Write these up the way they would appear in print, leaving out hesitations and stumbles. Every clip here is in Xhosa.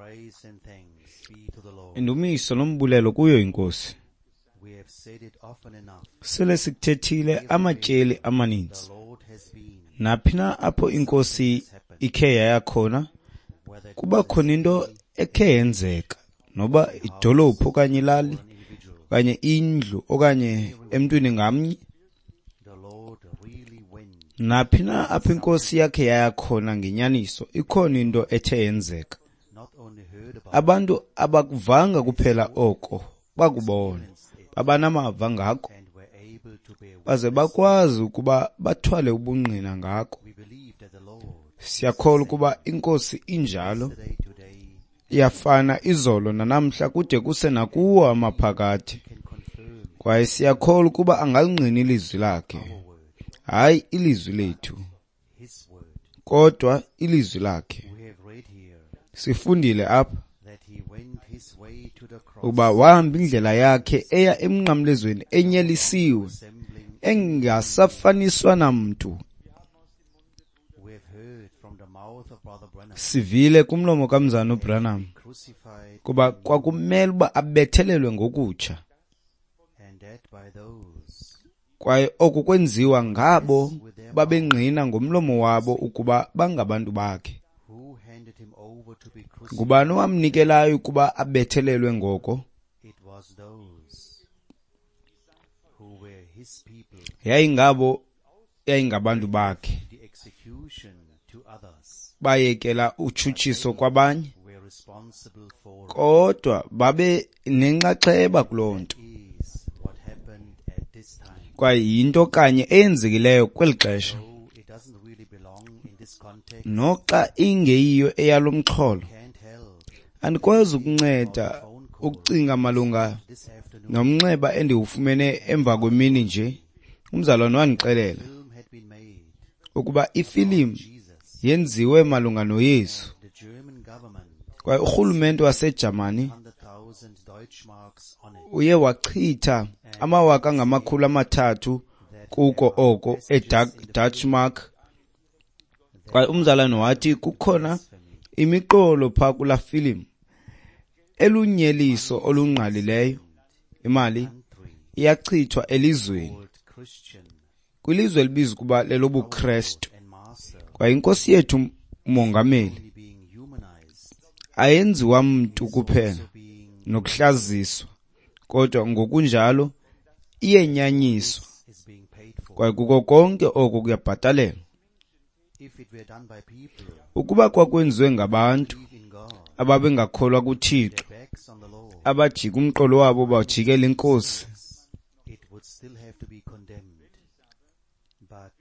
Praise and thanks be to the Lord. Indumiso nombulelo kuyo inkosi. We have said it often enough. Sele sikuthethile amatyeli amaninzi. The Lord has been, Naphi na apho inkosi ikhe yaya khona, whether it kuba was khona into ekhe yenzeka, noba idolophu okanye ilali, an individual, okanye indlu okanye emntwini ngamnye. the Lord really went. Naphi na apho inkosi yakhe yaya khona ngenyaniso, ikhona into ethe yenzeka. Not only heard about Abantu abakuvanga kuphela oko, bakubona, babanamava ngako, and were able to bear witness. baze bakwazi ukuba bathwale ubungqina ngako. We believe that the Lord, Siyakholwa ukuba inkosi injalo, yesterday, today, iyafana izolo nanamhla kude kuse nakuwo amaphakade. can confirm Kwaye siyakholwa ukuba angalingqina ilizwi lakhe, our word, hayi ilizwi lethu, His word. kodwa ilizwi lakhe. We have read here Sifundile apha that He went His way to the cross, ukuba wahamba indlela yakhe eya emnqamlezweni enyelisiwe, resembling. engasafaniswa namntu. We have heard from the mouth of Brother Branham, Sivile kumlomo kamzana uBranham crucified, kuba kwakumele uba abethelelwe ngokutsha, and that by those kwaye oku kwenziwa ngabo babengqina ngomlomo wabo ukuba bangabantu bakhe. who handed him over to be crucified. Ngubani owamnikelayo ukuba abethelelwe ngoko? It was those who were his people, Yayingabo, yayingabantu bakhe. the execution to others Bayekela utshutshiso kwabanye, were responsible for it. kodwa babe nenxaxheba kuloo nto. Is what happened at this time. Kwaye yinto kanye eyenzekileyo kweli xesha. Though it doesn't really belong in this context, Noxa ingeyiyo eyalo mxholo, can't help andikwazi ukunceda ukucinga malunga this afternoon. nomnxeba endiwufumene emva kwemini nje. Umzalwane wandixelela Film had been made ukuba ifilimu Jesus. yenziwe malunga noYesu, The German government kwaye urhulumente waseJamani 100,000 Deutschmarks on it. uye wachitha 300,000 kuko oko eDutchmark. Kwaye umzalwane wathi kukhona imiqolo phaa kulaa filimu elunyeliso olungqalileyo. Imali iyachithwa elizweni, Old Christian kwilizwe elibizwa ukuba lelobuKrestu. and master Kwaye inkosi yethu umongameli only being humanized, ayenziwa mntu kuphela being nokuhlaziswa, kodwa ngokunjalo iyenyanyiswa, is being paid for. kwaye kuko konke oko kuyabhatalelwa. If it were done by people Ukuba kwakwenziwe ngabantu believe in God, ababengakholwa kuThixo, their backs on the Lord, abajika umqolo wabo bajikela inkosi, it would still have to be condemned. But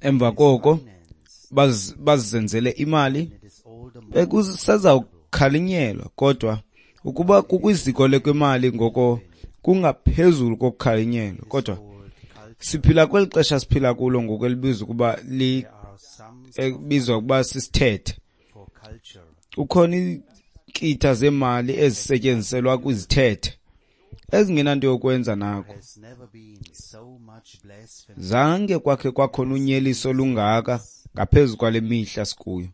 emva koko finance, bazenzele imali, it is all the more bekusezawukhalinyelwa. Kodwa ukuba kukwiziko lekwemali, ngoko kungaphezulu kokukhalinyelwa. Kodwa called culture. siphila kweli xesha siphila kulo ngoku elibizwa ukuba There are some ebizwa ukuba sisithethe. for culture Kukhona iinkitha zemali ezisetyenziselwa kwizithethe ezingenanto yokwenza nako. has never been so much blasphemy. Zange kwakhe kwakhona unyeliso olungaka ngaphezu kwale mihla sikuyo.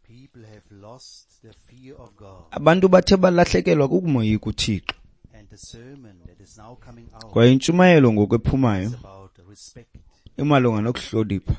People have lost the fear of God, Abantu bathe balahlekelwa kukumoyika uThixo. and the sermon that is now coming out Kwaye intshumayelo ngoku ephumayo is about respect. imalunga nokuhlonipha.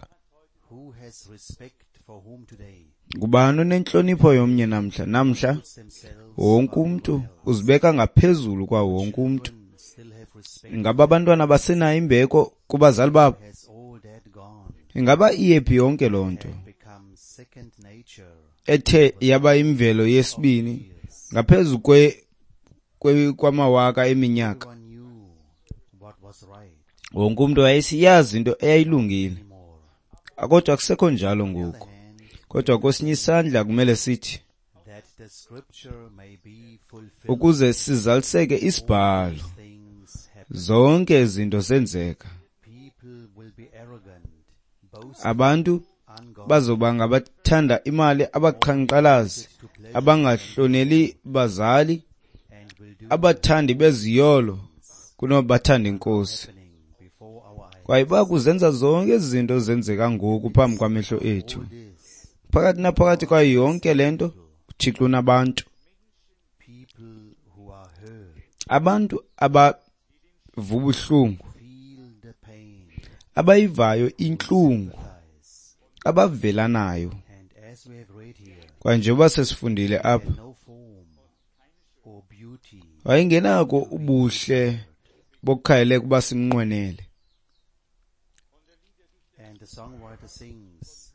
Who has respect for whom today? Ngubani onentlonipho yomnye namhla? Namhla Puts themselves wonke above umntu everyone else. uzibeka ngaphezulu kwa wonke umntu. Children still have respect. Ingaba abantwana basenayo imbeko kubazali babo? Has all that gone? Ingaba iyephi yonke loo nto Have become second nature ethe yaba imvelo yesibini ngaphezu kwamawaka eminyaka? Everyone knew what was right Wonke umntu wayesiyazi into eyayilungile, anymore. kodwa akusekho njalo On the ngoku. other hand, Kodwa kwesinye isandla kumele sithi that the scripture may be fulfilled, ukuze sizaliseke isibhalo, things happen. zonke izinto zenzeka. People will be arrogant, boasting, Abantu ungodly, bazoba ngabathanda imali, abaqhankqalazi, abangahloneli bazali, and will do abathandi beziyolo kunobathanda inkosi. happening before our eyes. Kwaye bakuzenza zonke ezi zinto zenzeka ngoku phambi kwamehlo ethu. All this Phakathi naphakathi kwayo yonke le nto, uThixo unabantu, people who are hurt, abantu abava ubuhlungu, feel the pain, abayivayo intlungu, sympathize. abavelanayo. And as we have read here, Kwaye njengoba sesifundile apha, had no form or beauty wayengenako ubuhle bokukhangeleka uba simnqwenele. And the songwriter sings,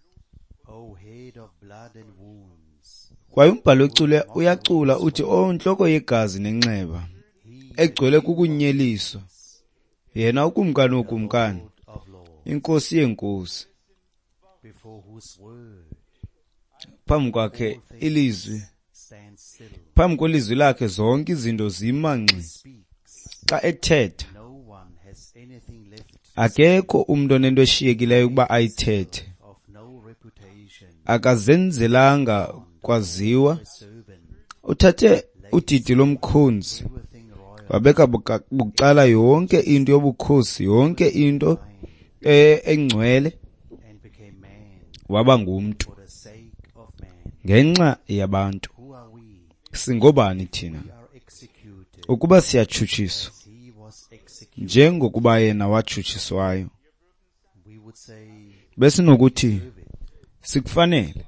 O head of blood and wounds, Kwaye umbhali wecule uyacula uthi, "O ntloko yegazi nenxeba, he egcwele kukunyeliswa, yena ukumkani wokumkani, Lord of lords, inkosi yeenkosi." before whose word Phambi kwakhe ilizwi, stands still, phambi kwelizwi lakhe zonke izinto zima ngxi. speaks. Xa ethetha, No one has anything left akekho umntu onento eshiyekileyo ukuba ayithethe. of no reputation, Akazenzelanga kwaziwa, a servant, uthathe udidi lomkhonzi, everything royal, wabeka bucala yonke into yobukhosi, yonke into engcwele, and became man waba ngumntu for the sake of man. ngenxa yabantu. Who are we? Singobani thina We are executed ukuba siyatshutshiswa as he was executed. njengokuba yena watshutshiswayo? We would say, Besinokuthi deserve it, sikufanele,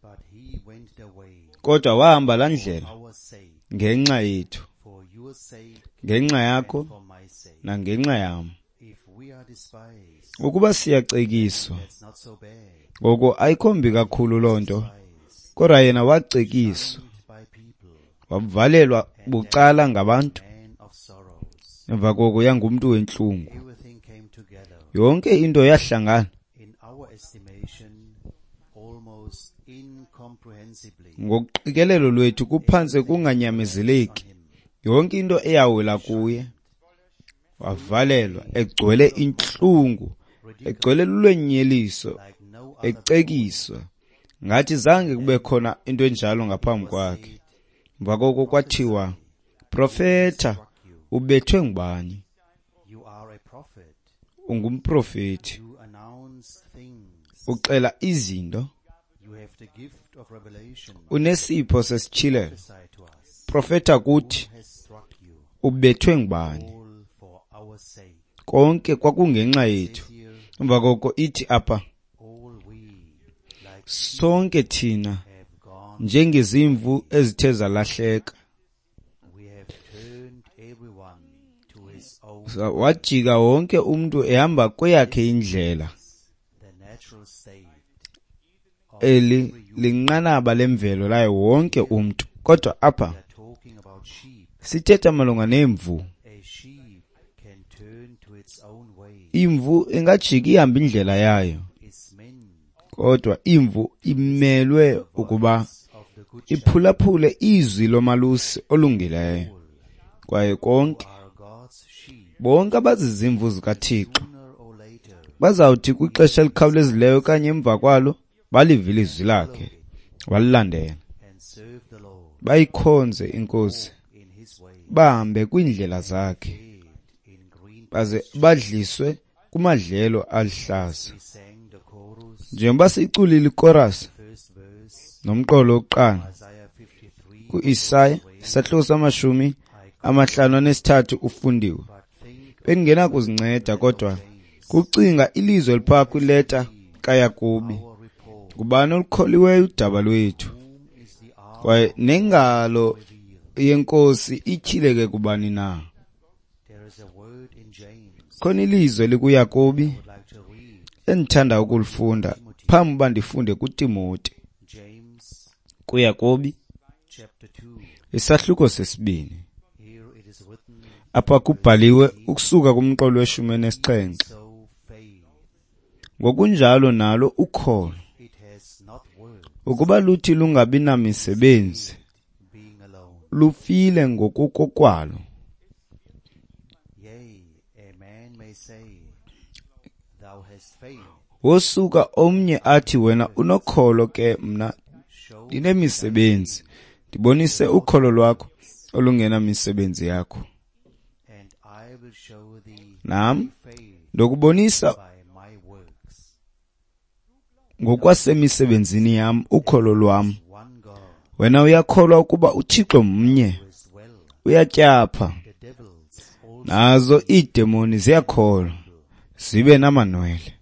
but he went the way kodwa wahamba laa ndlela for our sake, ngenxa yethu, for your sake, ngenxa yakho and for my sake. nangenxa yam. If we are despised, Ukuba siyacekiswa, that's not so bad. ngoko ayikho mbi kakhulu loo nto, Despised kodwa yena wacekiswa, by people, wavalelwa bucala ngabantu, man of sorrows. emva koko yangumntu wentlungu. Everything came together. Yonke into yahlangana. In our estimation, almost incomprehensibly, Ngokuqikelelo lwethu kuphantse kunganyamezeleki. on him. Yonke into eyawela kuye, wavalelwa egcwele intlungu, egcwele lulwenyeliso, Like no other ecekiswa, ngathi zange kube khona into enjalo ngaphambi kwakhe. Emva koko kwathiwa, "Profeta, ubethwe ngubani? You are a prophet. Ungumprofeti, You announce things. uxela izinto, You have the gift of revelation. unesipho sesityhilelo. Prophesy to us. Profeta kuthi, Who has struck you? ubethwe ngubani?" All for our sake. Konke kwakungenxa yethu. Says here, Emva koko ithi apha, all we like sonke thina have gone. njengezimvu ezithe zalahleka, We have turned everyone to his own, wajika wonke umntu ehamba kweyakhe indlela. the natural state of Eli every human. linqanaba lemvelo layo wonke umntu. Kodwa apha We are talking about sheep. sithetha malunga nemvu. A sheep can turn to its own way. Imvu ingajika ihambe indlela yayo, Is meant kodwa imvu imelwe ukuba of the good shepherd. iphulaphule izwi lomalusi olungileyo. Kwaye konke, Are God's sheep. bonke abazizimvu zikaThixo Sooner or later, bazawuthi kwixesha elikhawulezileyo okanye emva kwalo balive ilizwi lakhe, balilandele, and serve the Lord bayikhonze iNkosi, in his way, bahambe kwiindlela zakhe, fed in green baze badliswe kumadlelo aluhlaza. We sang the chorus, Njengoba siyiculile ikorasi first verse, nomqolo wokuqala Isaiah 53, ku-Isaya isahluko sama-53 ufundiwe, but think bendingenakuzinceda kodwa kucinga ilizwi eliphaa kwileta kaYakobi. our report, Ngubani olukholiweyo udaba lwethu? whom is the arm Kwaye nengalo yenkosi ityhileke kubani na? There is a word in James Khona ilizwi elikuYakobi I would like to read. endithanda ukulifunda phambi uba ndifunde kuTimoti. James KuYakobi chapter 2. isahluko sesibini. Here it is written, Apha kubhaliwe ukusuka kumqolo we-17. so faith, Ngokunjalo nalo ukholo, it has not worked, ukuba luthi lungabi namisebenzi, being alone. lufile ngokukokwalo. Yea, a man may say, thou hast faith, Wosuka omnye athi, wena unokholo, ke mna show ndinemisebenzi. Ndibonise ukholo lwakho olungenamisebenzi yakho, and I will show thee nam faith ndokubonisa by my works. ngokwasemisebenzini yam ukholo lwam. One God, Wena uyakholwa ukuba uThixo mnye, uyatyapha. Nazo iidemoni ziyakholwa, zibe namanwele.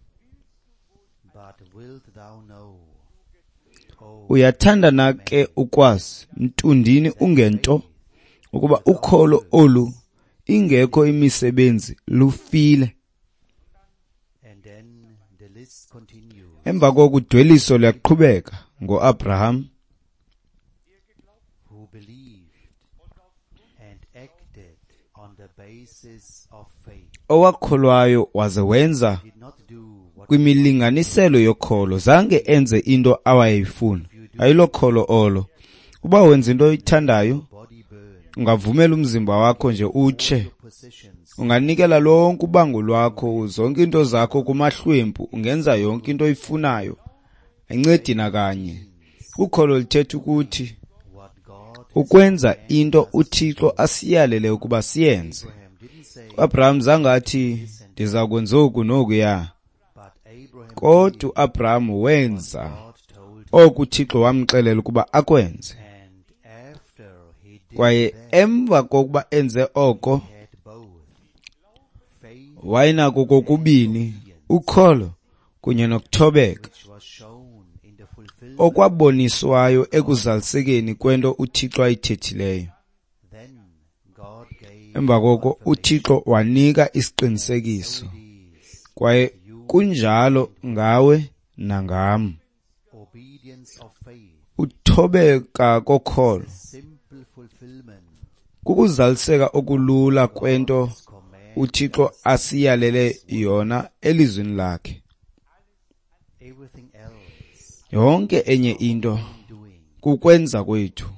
Uyathanda na ke ukwazi, mntundini ungento, ukuba ukholo olu ingekho imisebenzi lufile? Emva koko udweliso luyaqhubeka ngoAbraham, owakholwayo waze wenza kwimilinganiselo yokholo. Zange enze into awayeyifuna. Ayilokholo olo. Uba wenza into oyithandayo, ungavumela umzimba wakho nje utshe, unganikela lonke ubango lwakho, zonke into zakho kumahlwempu, ungenza yonke into oyifunayo, ayincedi nakanye. Ukholo lithetha ukuthi ukwenza into uThixo asiyalele ukuba siyenze. UAbraham zange athi ndiza kwenza oku nokuya, kodwa uAbraham wenza oku uThixo wamxelela ukuba akwenze. Kwaye emva kokuba enze oko, wayenako kokubini ukholo kunye nokuthobeka, okwaboniswayo ekuzalisekeni kwento uThixo ayithethileyo. Emva koko uThixo wanika isiqinisekiso, kwaye kunjalo ngawe nangam. Uthobeka kokholo kukuzaliseka okulula kwento uThixo asiyalele yona elizwini lakhe. Yonke enye into kukwenza kwethu,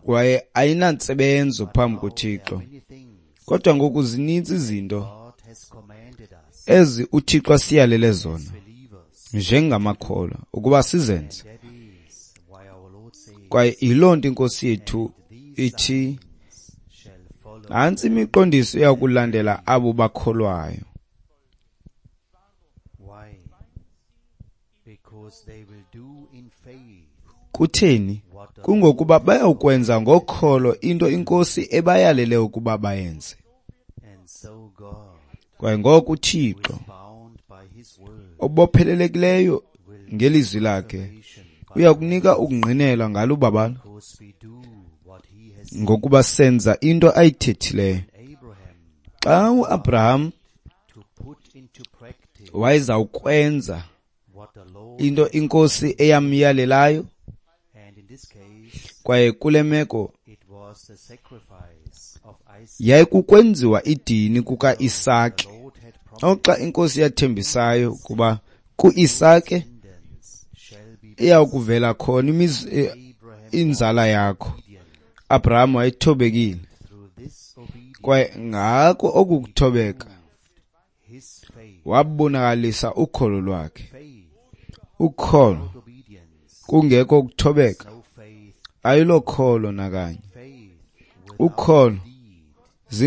kwaye ayinantsebenzo phambi koThixo. Kodwa ngoku zininzi izinto ezi uThixo asiyalele zona njengamakholwa ukuba sizenze. Kwaye yiloo nto iNkosi yethu ithi, nantsi imiqondiso iyakulandela abo bakholwayo. Kutheni? Kungokuba bayawukwenza ngokholo into iNkosi ebayalele ukuba bayenze. Kwaye ngoko uThixo obophelelekileyo ngelizwi lakhe uyakunika ukungqinelwa ngalo ubabalo, ngokuba senza into ayithethileyo. Xa uAbraham wayezawukwenza into iNkosi eyamyalelayo, kwaye kule meko yayikukwenziwa idini kukaIsake. Oxa iNkosi yathembisayo ukuba kuIsake iyakuvela khona inzala yakho, Abraham wayethobekile, kwaye ngako okukuthobeka wabonakalisa ukholo lwakhe. Ukholo kungekho ukuthobeka ayilokholo nakanye. Ukholo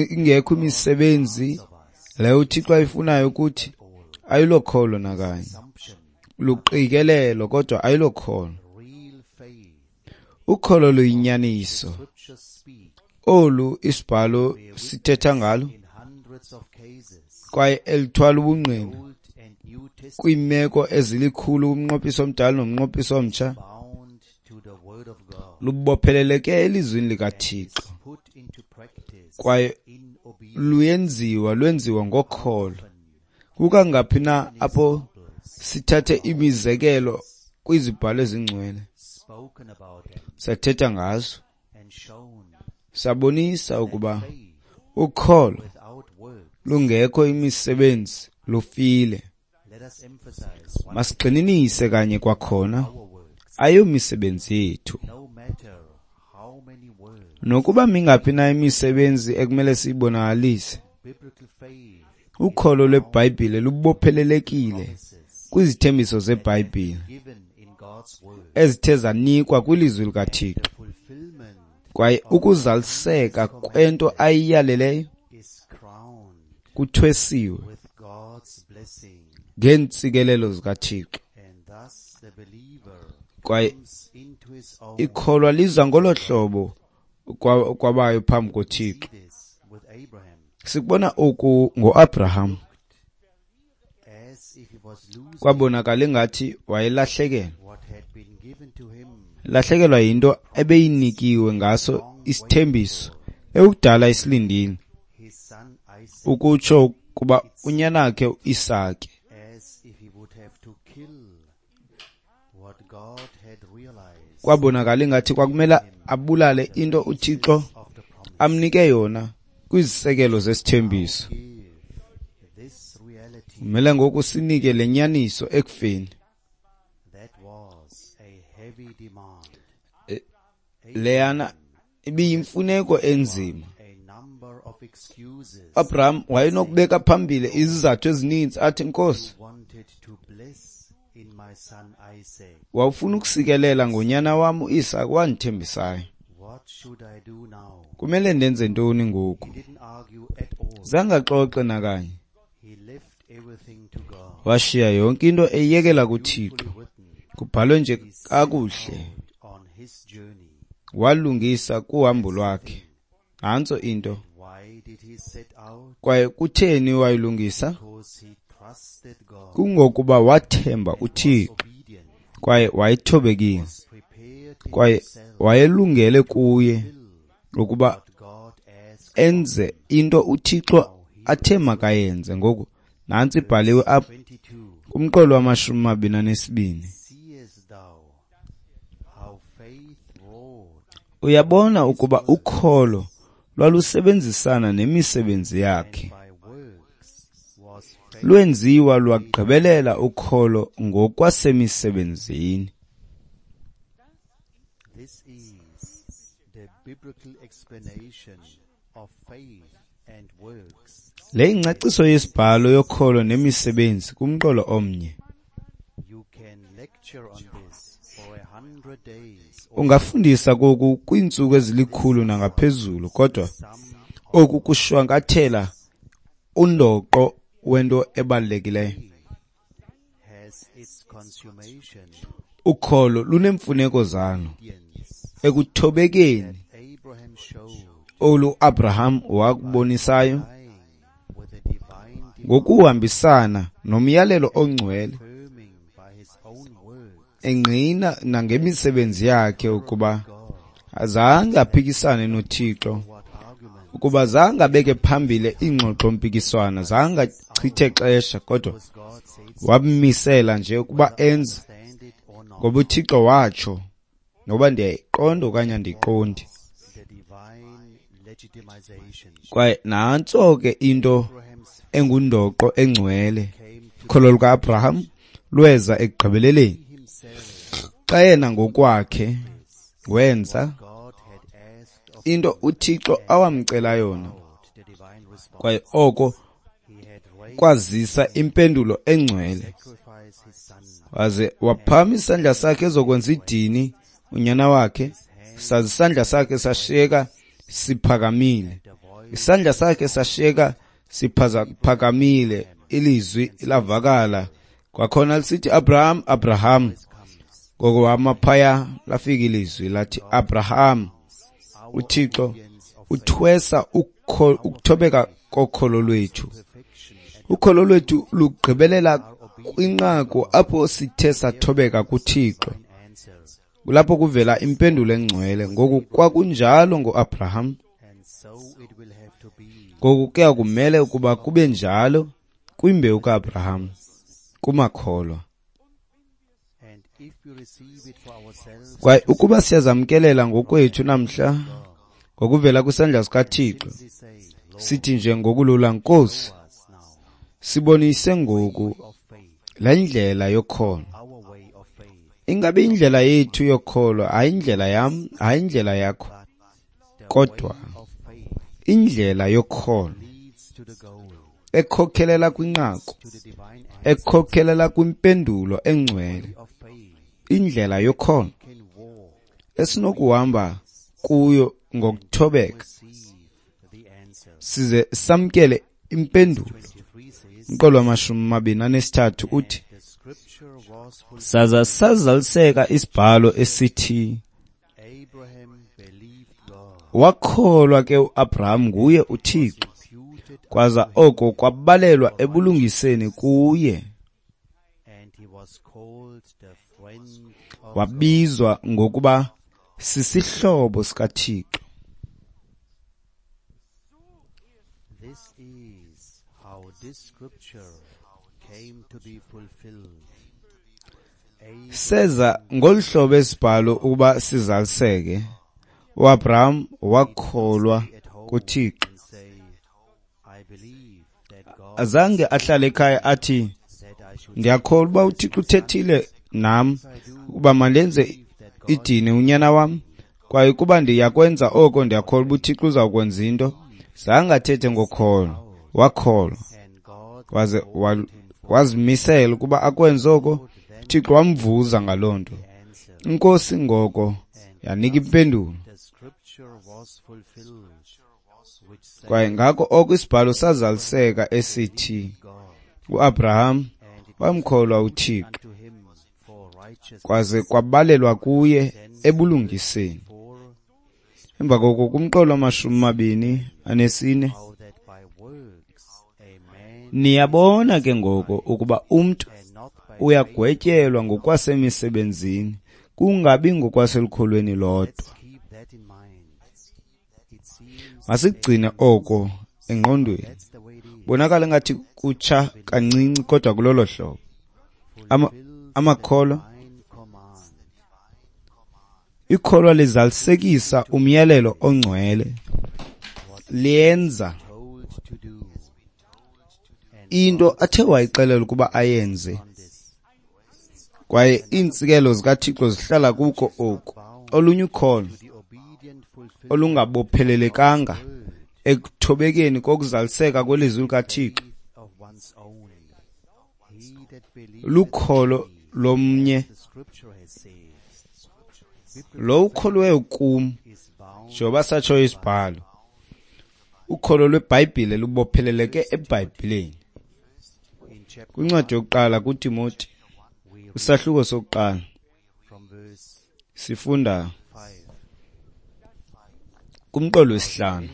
ingekho imisebenzi leyo uThixo ayifunayo ukuthi ayilokholo nakanye, luqikelelo kodwa ayilokholo. Ukholo luyinyaniso olu isibhalo sithetha ngalo, kwaye elithwala ubungqina kwiimeko ezilikhulu kumnqophiso omdala nomnqophiso omtsha, lubopheleleke elizwini likaThixo kwaye luyenziwa lwenziwa ngokholo. Kukangaphi na apho sithathe imizekelo kwizibhalo ezingcwele, sathetha ngazo, sabonisa ukuba ukholo lungekho imisebenzi lufile. Masigxininise kanye kwakhona, ayomisebenzi yethu. Nokuba mingaphi na imisebenzi ekumele siyibonakalise, ukholo lweBhayibhile lubophelelekile kwizithembiso zeBhayibhile ezithe zanikwa kwilizwi likaThixo, kwaye ukuzaliseka kwento ayiyaleleyo kuthwesiwe ngeentsikelelo zikaThixo. Kwaye ikholwa liza ngolo hlobo kwabayo phambi koThixo. Sikubona oku ngoAbraham. Kwabonakala ingathi wayelahlekelwa. Lahlekelwa yinto ebeyinikiwe ngaso isithembiso ekudala isilindile, ukutsho kuba unyanakhe uIsake. Kwabonakala ingathi kwakumele abulale into uThixo amnike yona kwizisekelo zesithembiso. Kumele ngoku sinike le nyaniso ekufeni. Leyana ibiyimfuneko enzima. Abraham wayenokubeka phambili izizathu ezininzi athi, Nkosi, wawufuna ukusikelela ngonyana wam uIsake wandithembisayo. Kumele ndenze ntoni ngoku? Zange axoxe nakanye. Washiya yonke into eyekela kuThixo. Kubhalwe nje kakuhle. Walungisa kuhambo lwakhe. Nantso into. Kwaye kutheni wayilungisa? Kungokuba wathemba uThixo kwaye wayethobekile kwaye wayelungele kuye ukuba enze into uThixo athe makayenze. Ngoku nantsi ibhaliwe apha kumqolo wama-22. Uyabona ukuba ukholo lwalusebenzisana nemisebenzi yakhe. Lwenziwa lwagqibelela ukholo ngokwasemisebenzini. Le ingcaciso yesibhalo yokholo nemisebenzi kumqolo omnye. Ungafundisa koku kwiintsuku ezilikhulu nangaphezulu, kodwa oku kushwankathela undoqo wento ebalulekileyo. Ukholo luneemfuneko zalo ekuthobekeni olu Abraham wakubonisayo ngokuhambisana nomyalelo ongcwele, engqina nangemisebenzi yakhe ukuba azange aphikisane noThixo, ukuba zange abeke phambili iingxoxo-mpikiswano, zange achithe xesha, kodwa wammisela nje ukuba enze ngoba uThixo watsho, noba ndiyayiqonda okanye andiyiqondi. Kwaye nantso ke into engundoqo engcwele. Ukholo luka-Abraham lweza ekugqibeleleni xa yena ngokwakhe wenza into uThixo awamcela yona, kwaye oko kwazisa impendulo engcwele. Waze waphakamisa isandla sakhe ezokwenza idini unyana wakhe, saze isandla sakhe sashiyeka siphakamile. Isandla sakhe sashiyeka siphakamile, ilizwi lavakala kwakhona lisithi, Abraham, Abraham. Ngoko wama phaya, lafika ilizwi lathi, Abraham. uThixo uthwesa ukuthobeka kokholo lwethu. Ukholo lwethu lugqibelela kwinqaku apho sithe sathobeka kuThixo. Kulapho kuvela impendulo engcwele. Ngoku kwakunjalo ngoAbraham. Ngoku kuya kumele ukuba kube njalo kwimbewu kaAbraham, kumakholwa. Kwaye ukuba siyazamkelela ngokwethu namhla ngokuvela kwisandla sikaThixo, sithi nje ngokulula, Nkosi, sibonise ngoku le ndlela yokholo. Ingabe indlela yethu yokholo, hayi indlela yam, hayi indlela yakho, kodwa indlela yokholo ekhokhelela kwinqaku, ekhokhelela kwimpendulo engcwele, indlela yokholo esinokuhamba kuyo ngokuthobeka size samkele impendulo. Umqolo wama-23 uthi, Saza sazaliseka isibhalo esithi, wakholwa ke uAbraham nguye uThixo, kwaza oko kwabalelwa ebulungiseni kuye. Wabizwa ngokuba sisihlobo sikaThixo. Seza ngolu hlobo isibhalo ukuba sizaliseke. uAbraham wakholwa kuThixo. Azange ahlale ekhaya athi, ndiyakholwa uba uThixo uthethile nam ukuba mandenze idini unyana wam, kwaye kuba ndiyakwenza oko ndiyakholwa uba uThixo uzawukwenza into. Zange athethe ngokholo, wakholwa waze wazimisela ukuba akwenze oko. uThixo wamvuza ngaloo nto. Inkosi ngoko yanika impendulo. Kwaye ngako oko isibhalo sazaliseka esithi, uAbraham wamkholwa uThixo, kwaze kwabalelwa kuye ebulungiseni. Emva koko kumqolo 24, niyabona ke ngoko ukuba umntu uyagwetyelwa ngokwasemisebenzini, kungabi ngokwaselukholweni lodwa. Masigcine oko engqondweni. Bonakala ngathi kutsha kancinci, kodwa kulolo hlobo. Amakholwa, ikholwa lizalisekisa umyalelo ongcwele, liyenza into athe wayixelela ukuba ayenze, kwaye iintsikelo zikaThixo zihlala kuko oku. Olunye ukholo olungabophelelekanga ekuthobekeni kokuzaliseka kwelizwi likaThixo lukholo lomnye. Lo ukholweyo kum, njengoba satsho isibhalo, ukholo lweBhayibhile lubopheleleke eBhayibhileni. Kwincwadi yokuqala kuTimoti, isahluko sokuqala, sifunda kumqolo wesihlanu.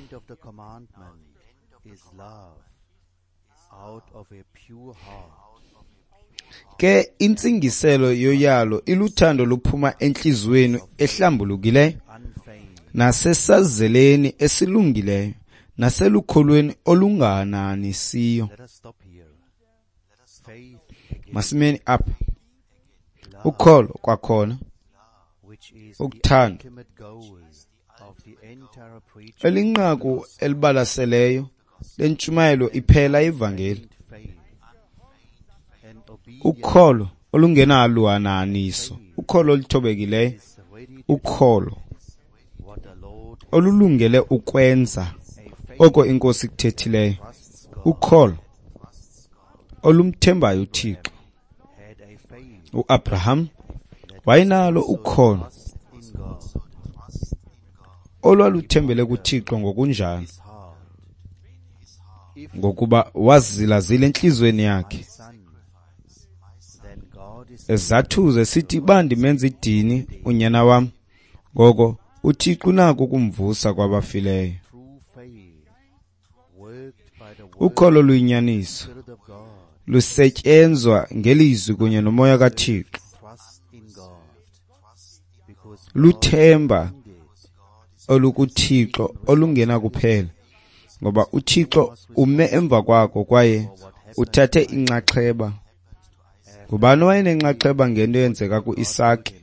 Ke intsingiselo yoyalo iluthando luphuma entliziyweni ehlambulukileyo, nasesazeleni esilungileyo, naselukholweni olungananisiyo. Masimeni apha. Ukholo kwakhona, ukuthanda, elinqaku elibalaseleyo lentshumayelo iphela ivangeli. Ukholo olungenaluhananiso, ukholo oluthobekileyo, ukholo olulungele ukwenza oko iNkosi ikuthethileyo, ukholo olumthembayo uThixo. uAbraham wayenalo ukholo olwaluthembele kuThixo ngokunjalo, ngokuba wazilazila entliziyweni yakhe, ezathuze sithi, ba ndimenza idini unyana wam, ngoko uThixo unako ukumvusa kwabafileyo. Ukholo luyinyaniso lusetyenzwa ngelizwi kunye nomoya kaThixo, luthemba olukuThixo olungenakuphela, ngoba uThixo ume emva kwako kwaye uthathe inxaxheba. Ngubani owayenenxaxheba ngento eyenzeka kuIsake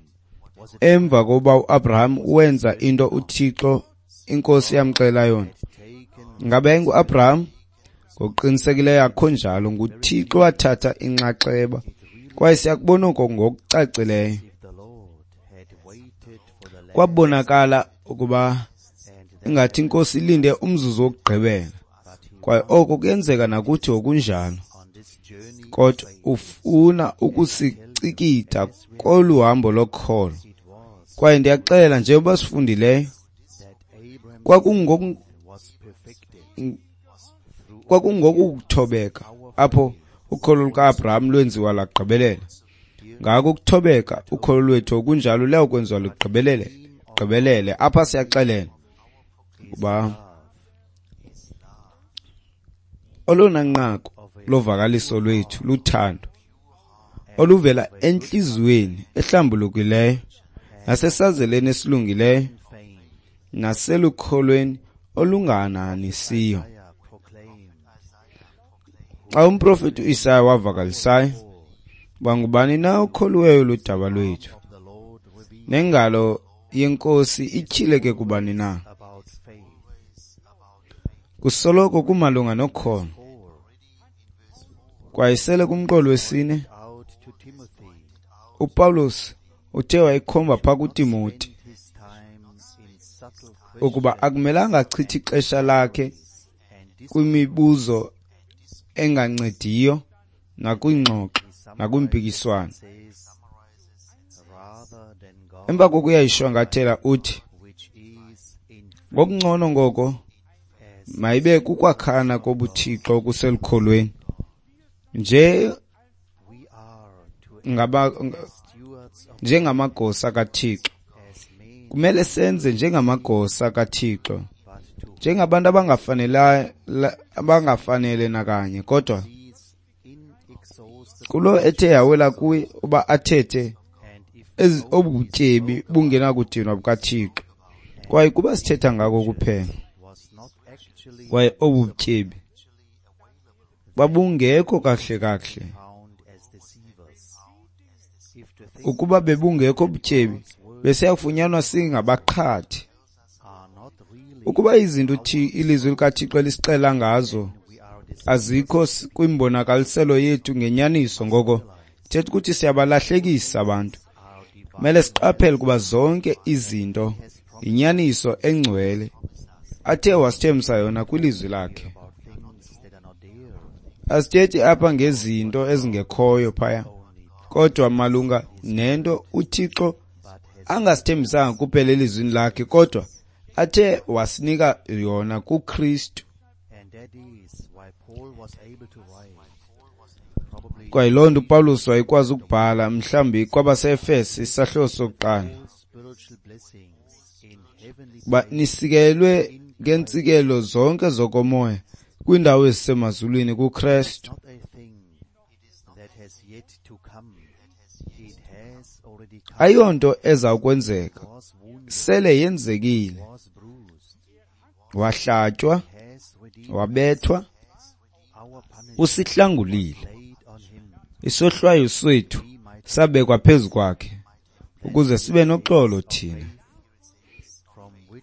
emva kokuba uAbraham wenza into uThixo iNkosi yamxelela yona? Ngabe yayinguAbraham? Ngokuqinisekileyo akho njalo. NguThixo wathatha inxaxheba, kwaye siyakubona oko ngokucacileyo. Kwabonakala ukuba ingathi iNkosi ilinde umzuzu wokugqibela, kwaye oko kuyenzeka nakuthi ngokunjalo. Kodwa ufuna ukusicikida kolu hambo lokholo. Kwaye ndiyaxela, njengoba sifundileyo, kwakungokuthobeka apho ukholo lukaAbraham lwenziwa lagqibelela. Ngako ukuthobeka ukholo lwethu okunjalo luyawukwenziwa lugqibelele, gqibelele. Apha siyaxelela uba olona nqaku lovakaliso lwethu luthando oluvela entliziyweni ehlambulukileyo nasesazeleni esilungileyo naselukholweni olunganahanisiyo. Xa umprofeti uIsaya wavakalisayo uba ngubani na okholiweyo ludaba lwethu, nengalo yeNkosi ityhileke kubani na. Kusoloko kumalunga nokholo. Kwaye sele kumqolo wesine, uPawulos uthe wayikhomba phaa kuTimoti ukuba akumelanga achithe ixesha lakhe kwimibuzo engancediyo nakwiingxoxo nakwimpikiswano. Emva kokuyayishwankathela uthi, ngokungcono ngoko mayibe kukwakhana kobuthixo okuselukholweni nje njengamagosa kaThixo. Kumele senze njengamagosa kaThixo, njengabantu abangafanele nakanye, kodwa kulo ethe yawela kuye uba athethe obubutyebi bungenakudinwa bukaThixo, kwaye kuba sithetha ngako kuphela, kwaye obubutyebi babungekho kahle kahle. Ukuba bebungekho ubutyebi, besiyakufunyanwa singabaqhathi. Ukuba izinto ilizwi likaThixo elisixela ngazo azikho kwimbonakaliselo yethu ngenyaniso, ngoko thetha ukuthi siyabalahlekisa abantu. Kumele siqaphele ukuba zonke izinto yinyaniso engcwele athe wasithembisa yona kwilizwi lakhe. Asithethi apha ngezinto ezingekhoyo phaya, kodwa malunga nento uThixo angasithembisanga kuphela elizwini lakhe, kodwa athe wasinika yona kuKristu. Kwaye loo nto uPawulos wayekwazi ukubhala mhlawumbi kwabaseEfese isahluko sokuqala, uba nisikelwe ngeentsikelelo zonke zokomoya kwiindawo ezisemazulwini kuKristu. Ayonto eza kwenzeka, sele yenzekile. Wahlatywa, wabethwa, usihlangulile. Isohlwayo sethu sabekwa phezu kwakhe ukuze sibe noxolo thina.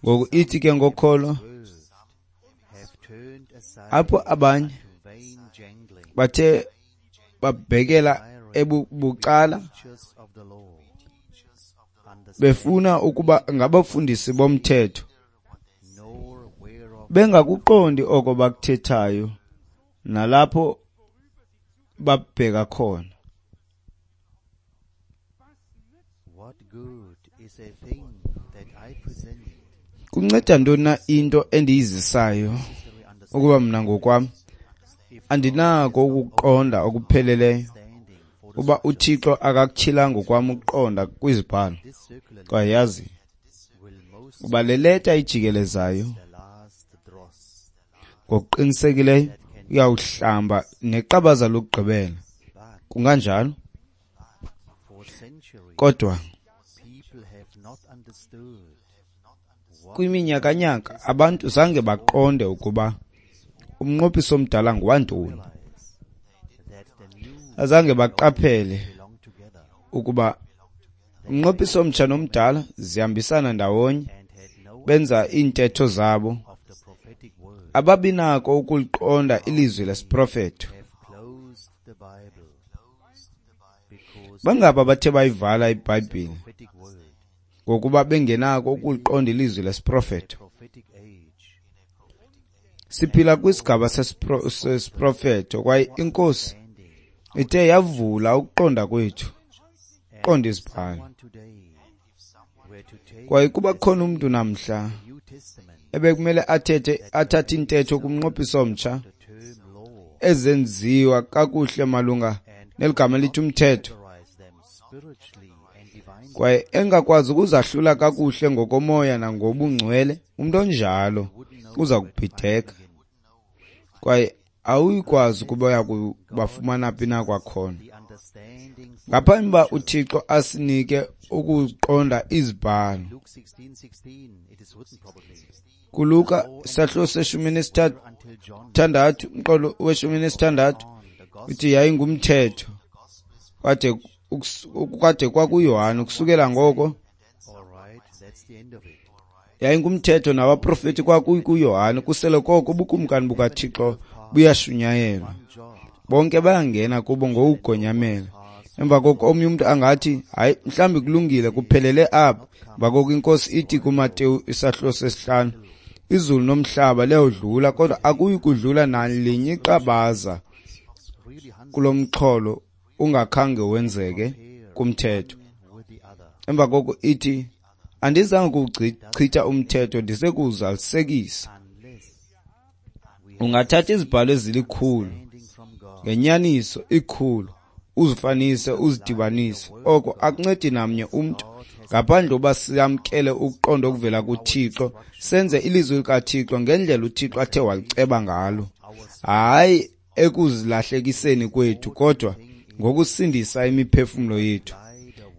Ngoku ithi ke ngokholo, apho abanye bathe babhekela ebucala befuna ukuba ngabafundisi bomthetho, bengakuqondi oko bakuthethayo nalapho babheka khona. Kunceda ntoni na into endiyizisayo ukuba mna ngokwam andinako ukuqonda okupheleleyo, uba uThixo akakutyhilanga ngokwam ukuqonda kwizibhalo? Kwaye yazi uba le leta ijikelezayo ngokuqinisekileyo uyawuhlamba neqabaza lokugqibela. Kunganjalo? Kodwa kwiminyakanyaka abantu zange baqonde ukuba umnqophiso omdala ngowantoni. Azange baqaphele ukuba umnqophiso omtsha nomdala zihambisana ndawonye, benza iintetho zabo. Ababinako ukuliqonda ilizwi lesiprofeto. Bangaba bathe bayivala iBhayibhile ngokuba bengenako ukuliqonda ilizwi lesiprofeto. Siphila kwisigaba sesiprofeto, kwaye iNkosi ithe yavula ukuqonda kwethu, qonda izibhalo. Kwaye kuba khona umntu namhla ebekumele athathe intetho kumnqophiso omtsha ezenziwa kakuhle malunga neligama elithi umthetho, kwaye engakwazi ukuzahlula kakuhle ngokomoya nangobungcwele, umntu onjalo uza kubhideka kwaye awuyikwazi ukuba uya kubafumana phi na kwakhona. Ngaphambi uba uThixo asinike ukuqonda izibhalo, kuLuka isahluko se-16, umqolo we-16, uthi yayingumthetho kwade kwakuYohane. Ukusukela ngoko yayingumthetho nabaprofeti kwakuYohane. Kusele koko ubukumkani bukaThixo buyashunyayelwa, bonke bayangena kubo ngokugonyamela. Emva koko omnye umntu angathi, hayi, mhlawumbi kulungile, kuphelele apha. Emva koko iNkosi ithi kuMateyu isahluko sesihlanu, izulu nomhlaba liyawudlula, kodwa akuyi kudlula nalinye iqabaza kulo mxholo ungakhange wenzeke kumthetho. Emva koko ithi, andizange kuwuchitha umthetho, ndize kuwuzalisekisa. Ungathatha izibhalo ezilikhulu, ngenyaniso ikhulu, uzifanise uzidibanise. Oko akuncedi namnye umntu ngaphandle uba siyamkele ukuqonda okuvela kuThixo, senze ilizwi likaThixo ngendlela uThixo athe waliceba ngalo, hayi ekuzilahlekiseni kwethu, kodwa ngokusindisa imiphefumlo yethu.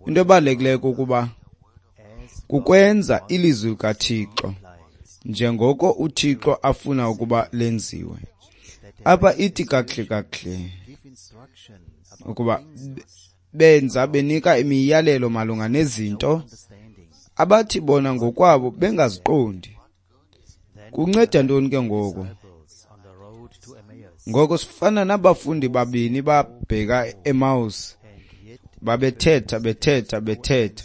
Into ebalulekileyo kukuba kukwenza ilizwi likaThixo njengoko uThixo afuna ukuba lenziwe. Apha ithi kakuhle kakuhle ukuba benza benika imiyalelo malunga nezinto abathi bona ngokwabo bengaziqondi. Kunceda ntoni ke ngoko? Ngoko sifana nabafundi babini babheka eMaus, babethetha bethetha bethetha.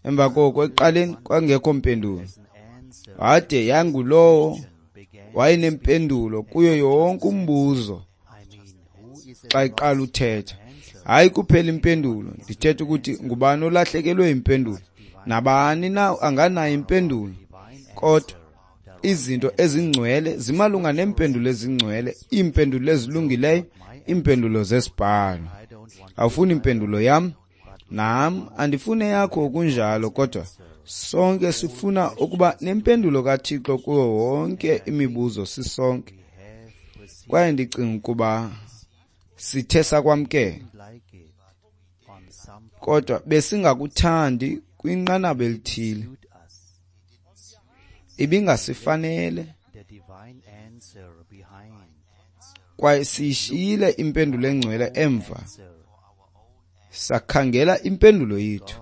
Emva koko ekuqaleni kwangekho mpendulo, wade yangulowo wayenempendulo kuyo yonke umbuzo xa iqala uthetha. Hayi kuphela impendulo, ndithetha ukuthi ngubani olahlekelwe impendulo, nabani na anganayo impendulo, kodwa izinto ezingcwele zimalunga neempendulo ezingcwele, iimpendulo ezilungileyo, iimpendulo zesibhalo. Awufuni impendulo yam, nam andifuni eyakho kunjalo, kodwa sonke sifuna ukuba nempendulo kaThixo kuwo wonke imibuzo sisonke. Kwaye ndicinga ukuba sithe sakwamkela, kodwa besingakuthandi kwinqanaba elithile. Ibingasifanele kwaye siyishiyile impendulo engcwele emva, sakhangela impendulo yethu.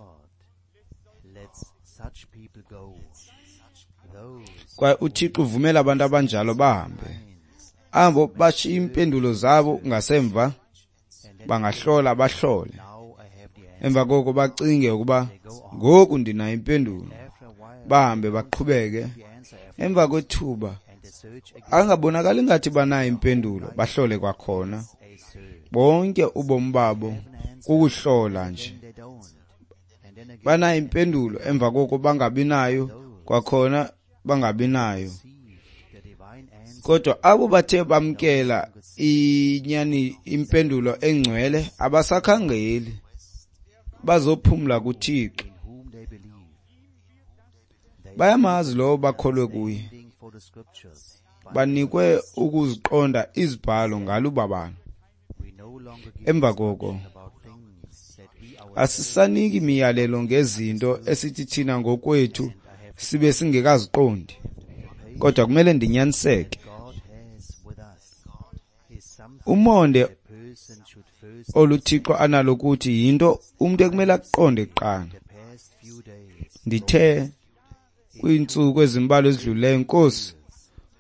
Kwaye uThixo uvumela abantu abanjalo bahambe, abo bashiya impendulo zabo ngasemva, bangahlola bahlole, emva koko bacinge ukuba ngoku ndinayo impendulo, bahambe baqhubeke. Emva kwethuba angabonakali ngathi banayo impendulo, bahlole kwakhona. Bonke ubomi babo kukuhlola nje. Banayo impendulo, emva koko bangabi nayo kwakhona, bangabi nayo. Kodwa abo bathe bamkela inyani impendulo engcwele abasakhangeli, bazophumla kuThixo. Bayamazi lowo bakholwe kuye, banikwe ukuziqonda izibhalo ngalubabalo. Emva koko asisaniki imiyalelo ngezinto esithi thina ngokwethu sibe singekaziqondi, kodwa kumele ndinyaniseke. Umonde oluThixo analo kuthi yinto umntu ekumele akuqonde kuqala. Ndithe kwiintsuku ezimbalwa ezidlulileyo, Nkosi,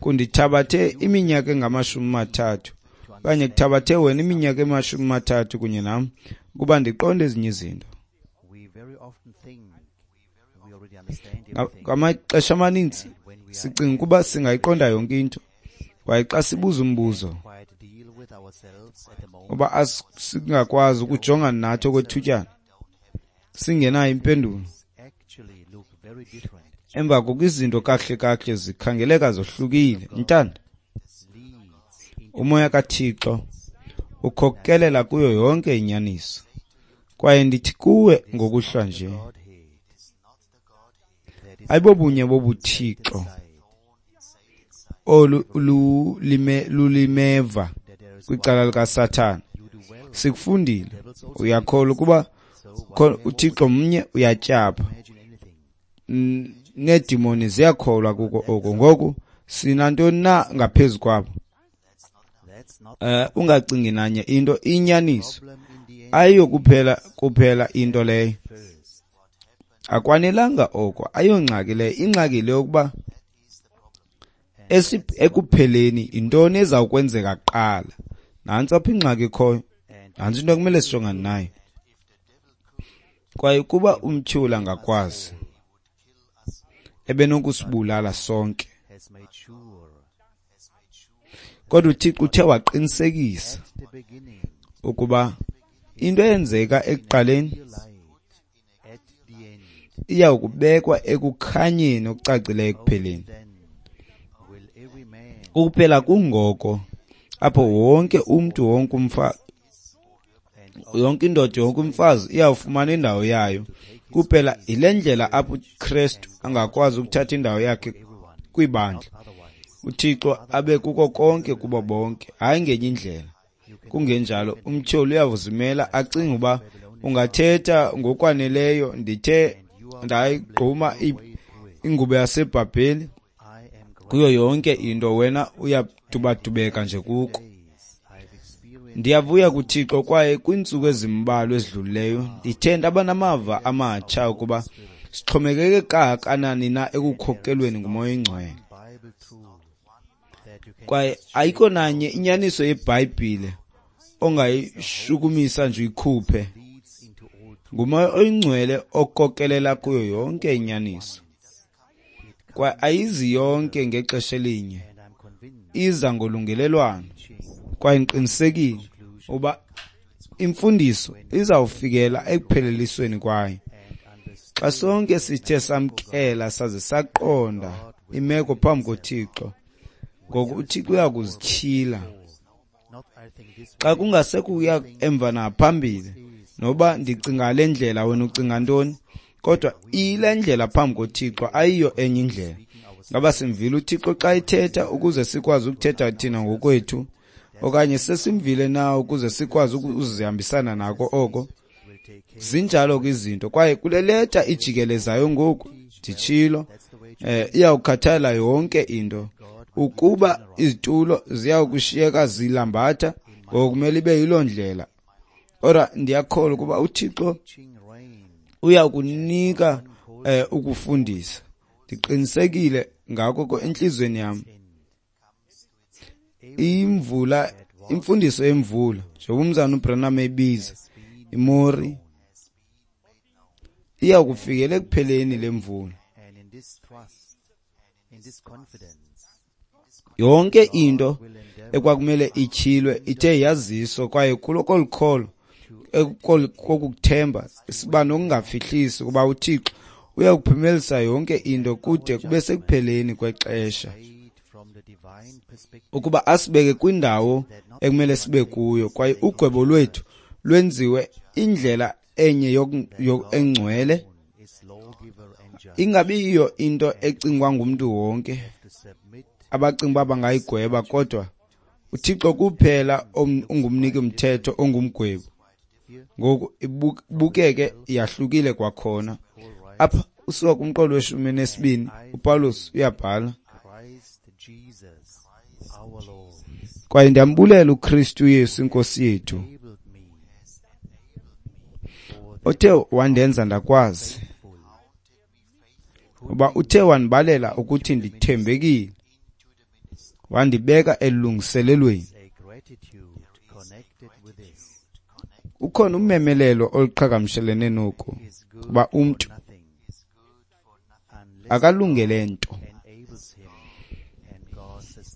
kundithabathe iminyaka engama-30 okanye kuthabathe wena iminyaka ema-30 kunye nam ukuba ndiqonde ezinye izinto. Ngamaxesha amaninzi sicinga ukuba singayiqonda yonke into, kwaye xa sibuza umbuzo uba singakwazi ukujongana nathi okwethutyana singenayo impendulo, emva koko izinto kakuhle kakuhle zikhangeleka zohlukile. Ntanda, umoya kaThixo ukhokelela kuyo yonke inyaniso. Kwaye ndithi kuwe ngokuhlwa nje, ayibobunye bobuthixo olu lulimeva kwicala likaSathana. Sikufundile, uyakholwa ukuba uThixo mnye, uyatyapha, needimoni ziyakholwa kuko oko. Ngoku sinantoni na ngaphezu kwabo? Ungacingi nanye into, inyaniso ayiyo kuphela into leyo. Akwanelanga oko, ayongxaki leyo. Ingxaki le yokuba ekupheleni intoni ezawukwenzeka kuqala. Nantsi apho ingxaki ikhoyo, nantsi into ekumele sijongane nayo. Kwaye ukuba umtyholi angakwazi, ebenokusibulala sonke. Kodwa uThixo uthe waqinisekisa ukuba into eyenzeka ekuqaleni iya kubekwa ekukhanyeni okucacileyo ekupheleni. Kuphela kungoko apho wonke umntu, wonke umfazi, yonke indoda, yonke umfazi iyawufumana indawo yayo. Kuphela yile ndlela apho uKristu angakwazi ukuthatha indawo yakhe kwibandla, uThixo abe kuko konke kubo bonke, hayi ngenye indlela. Kungenjalo umtyholi uyawuzimela acinge uba ungathetha ngokwaneleyo, ndithe ndayigquma ingubo yaseBhabheli kuyo yonke into, wena uyadubadubeka nje kuko. Ndiyavuya kuThixo, kwaye kwiintsuku ezimbalwa ezidlulileyo ndithe ndaba namava amatsha ukuba sixhomekeke kangakanani na ekukhokelweni nguMoya oyiNgcwele. Kwaye ayikho nanye inyaniso yeBhayibhile ongayishukumisa nje uyikhuphe. NguMoya oyiNgcwele okhokelela kuyo yonke inyaniso. Kwaye ayizi yonke ngexesha elinye, iza ngolungelelwano. Kwaye ndiqinisekile uba imfundiso izawufikela ekuphelelisweni kwayo. Xa sonke sithe samkela saze saqonda imeko phambi koThixo, ngoku uThixo uyakuzityhila. Xa kungasekuya emva naphambili, noba ndicinga le ndlela wena ucinga ntoni, kodwa iyile ndlela phambi koThixo, ayiyo enye indlela. Ngaba simvile uThixo xa ethetha ukuze sikwazi ukuthetha thina ngokwethu, okanye sesimvile na ukuze sikwazi ukuzihambisana nako oko? Zinjalo ke izinto. Kwaye kule leta ijikelezayo ngoku, nditshilo, iyawukhathala yonke into. Ukuba izitulo ziyawukushiyeka zilambatha, ngokumele ibe yiloo ndlela. Kodwa ndiyakholwa ukuba uThixo uyakunika ukufundisa. Ndiqinisekile ngako entliziyweni yam. Imvula, imfundiso yemvula, njengoba umzana uBranham ebiza imori, iyakufikela ekupheleni lemvula. Yonke into ekwakumele ityhilwe ithe yaziswa, kwaye kulo kolukholo, kokukuthemba, siba nokungafihlisi ukuba uThixo uyakuphumelelisa yonke into kude kube sekupheleni kwexesha, ukuba asibeke kwindawo ekumele sibe kuyo, kwaye ugwebo lwethu lwenziwe indlela enye engcwele, ingabi yiyo into ecingwa ngumntu wonke abacinga uba bangayigweba, kodwa uThixo kuphela ungumniki mthetho, ongumgwebi. Ngoku ibukeke yahlukile kwakhona. Apha usuka kumqolo we-12, uPawulos uyabhala, kwaye ndiyambulela uKristu Yesu iNkosi yethu, othe wandenza ndakwazi, uba uthe wandibalela ukuthi ndithembekile, wandibeka elungiselelweni. Ukhona umemelelo oluqhagamshelene noku, uba umntu akalungele nto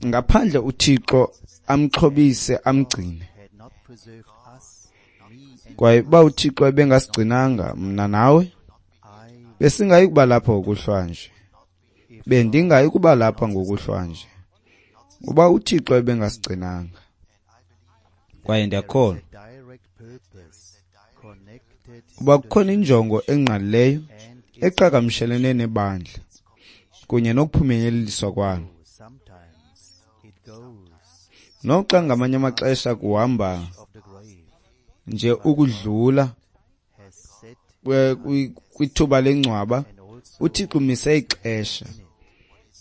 ngaphandle uThixo amxhobise amgcine. Kwaye uba uThixo ebengasigcinanga mna nawe, besingayi kuba lapha ngokuhlwanje. Bendingayi kuba lapha ngokuhlwanje uba uThixo ebengasigcinanga. Kwaye ndiyakholwa Uba kukhona injongo engqalileyo eqhagamshelene nebandla kunye nokuphunyeleliswa kwalo. Noxa ngamanye amaxesha kuhamba nje ukudlula kwithuba lengcwaba, uThixo umise ixesha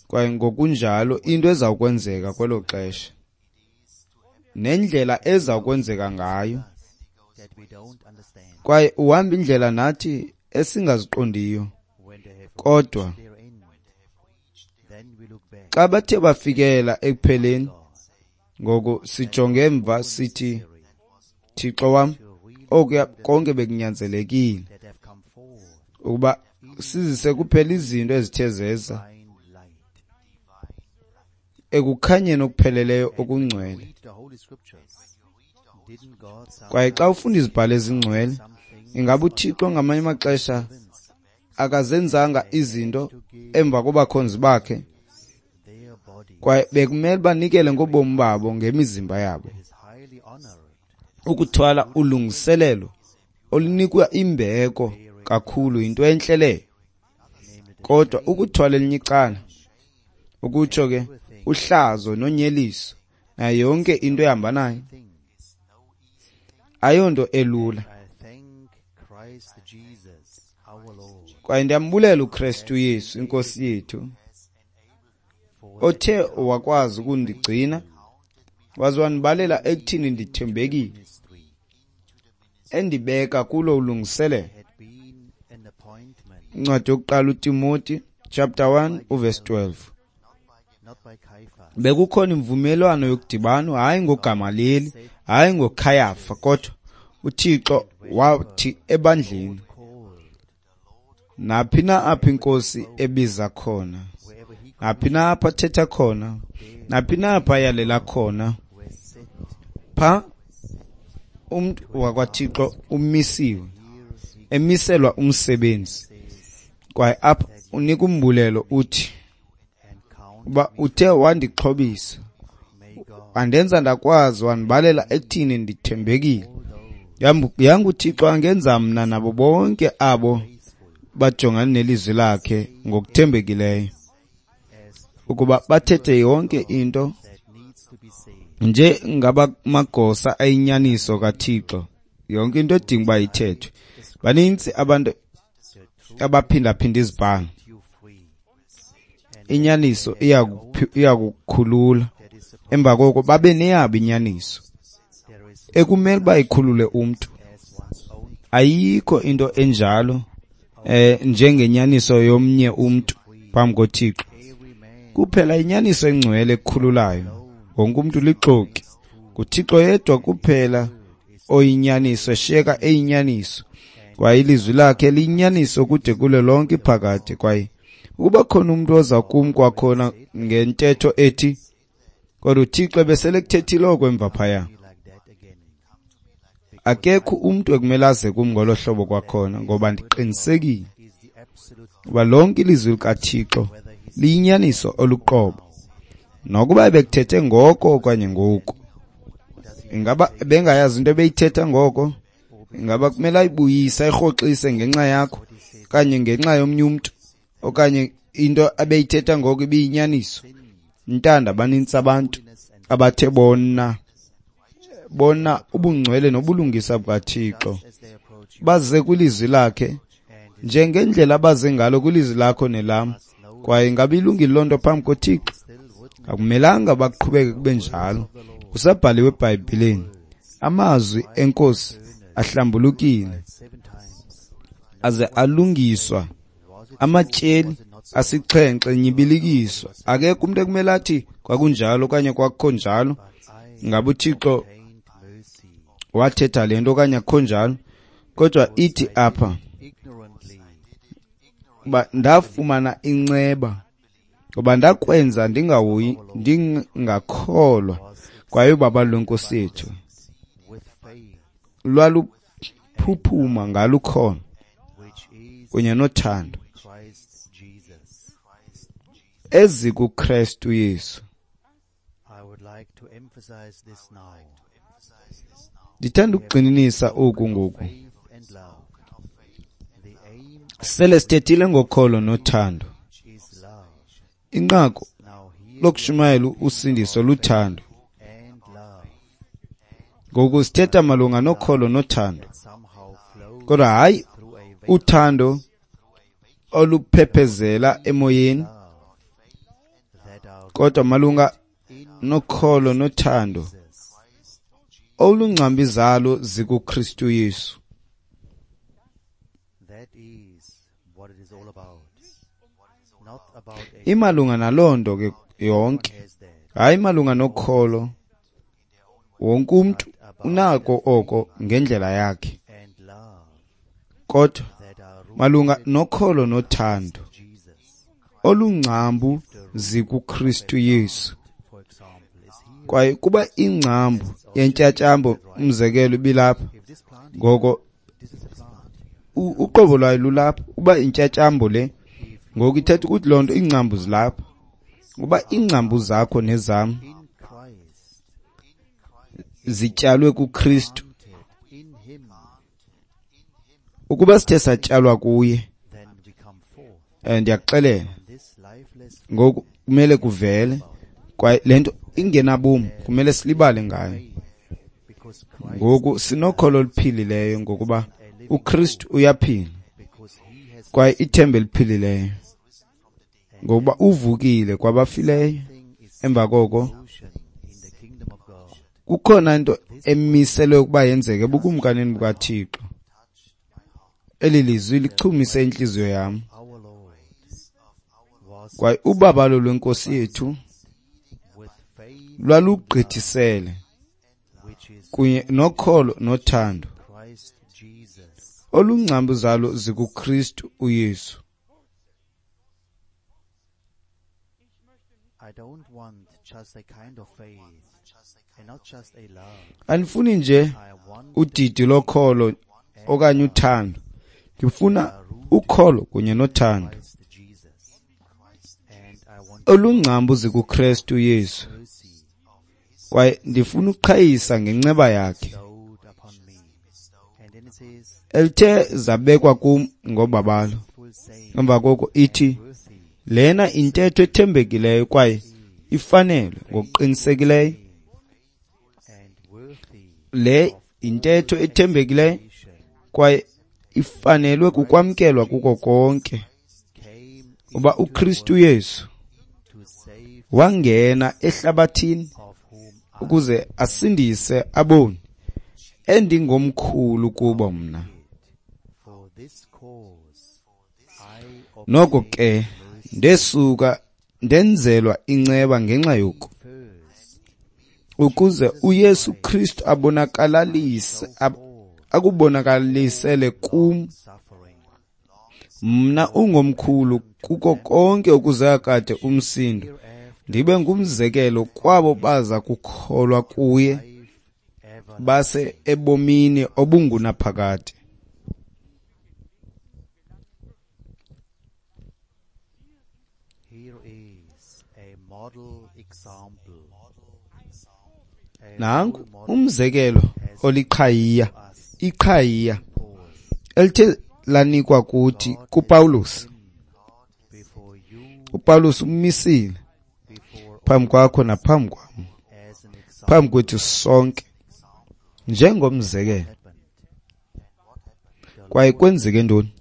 kwaye ngokunjalo into ezawukwenzeka kwelo xesha nendlela ezawukwenzeka ngayo, kwaye uhamba indlela nathi esingaziqondiyo. Kodwa xa bathe bafikela ekupheleni, ngoku sijonge emva sithi, Thixo wam, okuya konke bekunyanzelekile ukuba sizise kuphela izinto ezithe zeza ekukhanyeni okupheleleyo okungcwele. Kwaye xa ufunda izibhalo ezingcwele, ingaba uThixo ngamanye amaxesha akazenzanga izinto emva kobakhonzi bakhe, kwaye bekumele banikele ngobomi babo ngemizimba yabo ukuthwala ulungiselelo olunikwa imbeko kakhulu yinto entle leyo. Kodwa ukuthwala elinye icala, ukutsho ke uhlazo nonyeliso nayo yonke into ehamba nayo, ayonto elula. Kwaye ndiyambulela uKristu Yesu inkosi yethu, othe wakwazi ukundigcina waze wandibalela ekuthini ndithembekile, endibeka kulo ulungiselelo. Incwadi yokuqala uTimoti chapter 1 uverse 12. Bekukhona imvumelwano yokudibana, hayi ngoGamaleli, hayi ngoKhayafa, kodwa uThixo wathi ebandleni, naphi na apho inkosi ebiza khona, naphi na apho athetha khona, naphi na apho ayalela khona, pha umntu wakwaThixo umisiwe, emiselwa umsebenzi. Kwaye apha unika umbulelo uthi, uba uthe wandixhobisa, wandenza ndakwazi, wandibalela ekuthini ndithembekile. Yanga uThixo angenza mna nabo bonke abo bajongane nelizwi lakhe ngokuthembekileyo, ukuba bathethe yonke into nje ngabamagosa ayinyaniso kaThixo, yonke into edinga uba ithethwe. Banintsi abantu abaphindaphinda izibhalo. Inyaniso iyakukhulula, emva koko babe neyabo inyaniso ekumele uba ikhulule umntu. Ayikho into enjalo njengenyaniso yomnye umntu phambi koThixo. Kuphela inyaniso engcwele ekhululayo. Wonke umntu lixoki. NguThixo yedwa kuphela oyinyaniso, eshiyeka eyinyaniso. Kwaye ilizwi lakhe liyinyaniso kude kulo lonke iphakade. Kwaye ukuba khona umntu oza kum kwakhona ngentetho ethi, kodwa uThixo ebesele kuthethile oko emva phaya, akekho umntu ekumele aze kum ngolo hlobo kwakhona, ngoba ndiqinisekile uba lonke ilizwi likaThixo liyinyaniso oluqobo, nokuba ebekuthethe ngoko okanye ngoku. Ingaba bengayazi into ebeyithetha ngoko? Ingaba kumele ayibuyise, ayirhoxise ngenxa yakho okanye ngenxa yomnye umntu, okanye into abeyithetha ngoko ibiyinyaniso? Ntanda, banintsi abantu abathe bona ubungcwele nobulungisa bukaThixo, baze kwilizwi lakhe njengendlela abaze ngalo kwilizwi lakho nelam. Kwaye ingaba ilungile loo nto phambi koThixo? Akumelanga baqhubeke kube njalo. Kusabhaliwe eBhayibhileni, amazwi enkosi ahlambulukile aze alungiswa, amatyeli asixhenxe nyibilikiswa. Akekho umntu ekumele athi kwakunjalo okanye kwakukho njalo. Ingaba uThixo wathetha le nto okanye akukho njalo? Kodwa ithi apha uba ndafumana inceba, ngoba ndakwenza ndingahoyi, ndingakholwa kwaye ubabalo lwenkosi yethu lwaluphuphuma ngalukhona kunye nothando ezikuKristu Yesu. Ndithanda ukugxininisa oku ngoku. Sele sithethile ngokholo nothando. Inqaku lokushumayela usindiso luthando. Ngoku sithetha malunga nokholo nothando, kodwa hayi uthando oluphephezela emoyeni, kodwa malunga nokholo nothando olungcambi zalo zikuKristu Yesu. Imalunga naloo nto ke yonke, hayi malunga nokholo. Wonke umntu unako oko ngendlela yakhe, kodwa malunga nokholo nothando olungcambu zikuKristu Yesu. Kwaye kuba ingcambu yentyatyambo, umzekelo, ibilapha, ngoko uqobo lwayo lulapha. Uba intyatyambo le, ngoku ithetha ukuthi loo nto iingcambu zilapha. Uba iingcambu zakho nezam zityalwe kuKristu, ukuba sithe satyalwa kuye, ndiyakuxelela ngoku kumele kuvele, kwaye le nto ingenabomi kumele silibale ngayo. Ngoku sinokholo oluphilileyo ngokuba uKristu uyaphila, kwaye ithemba eliphilileyo ngokuba uvukile kwabafileyo. Emva koko kukhona into emiselwe ukuba yenzeke ebukumkanini bukaThixo. Eli lizwi lichumise intliziyo yam, kwaye ubabalo lwenkosi yethu lwalugqithisele kunye nokholo nothando olungcambu zalo zikuKristu uYesu. Andifuni nje udidi lokholo okanye uthando, ndifuna ukholo kunye nothando olungcambu zikuKristu Yesu, kwaye ndifuna uqhayisa ngenceba yakhe elithe zabekwa kum ngobabalo. Emva koko ithi lena intetho ethembekileyo kwaye ifanele ngokuqinisekileyo. Le intetho ethembekileyo kwaye ifanelwe kukwamkelwa kuko konke, uba uKristu Yesu wangena ehlabathini ukuze asindise aboni, endingomkhulu kubo mna. Noko ke ndesuka ndenzelwa inceba ngenxa yoku, ukuze uYesu Kristu abonakalise akubonakalisele kum mna ungomkhulu kuko konke ukuze kade umsindo, ndibe ngumzekelo kwabo baza kukholwa kuye base ebomini obungunaphakade. Nanku umzekelo oliqhayiya, iqhayiya elithe lanikwa kuthi kuPawulos. uPawulos umisile phambi kwakho naphambi kwam, phambi kwethu sonke njengomzekelo. Kwaye kwenzeke ntoni?